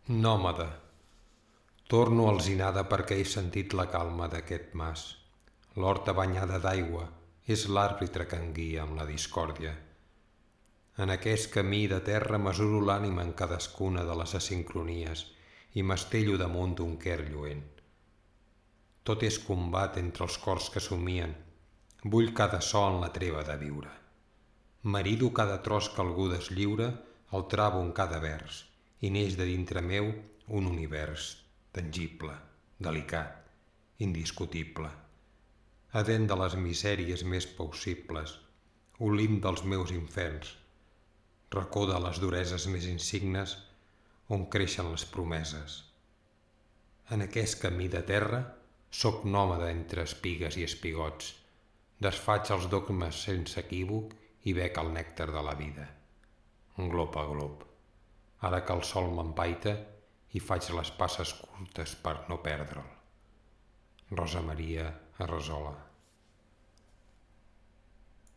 Nòmada. Torno alzinada perquè he sentit la calma d'aquest mas. L'horta banyada d'aigua és l'àrbitre que em guia amb la discòrdia. En aquest camí de terra mesuro l'ànima en cadascuna de les asincronies i m'estello damunt d'un quer lluent. Tot és combat entre els cors que somien. Vull cada so en la treva de viure. Marido cada tros que algú deslliura, el travo en cada vers, i neix de dintre meu un univers tangible, delicat, indiscutible. Adent de les misèries més possibles, olim dels meus inferns, racó de les dureses més insignes on creixen les promeses. En aquest camí de terra soc nòmada entre espigues i espigots, desfaig els dogmes sense equívoc i bec el nèctar de la vida. Glop a glop. Ara que el sol m'empaita i faig les passes curtes per no perdre'l. Rosa Maria Arrazola.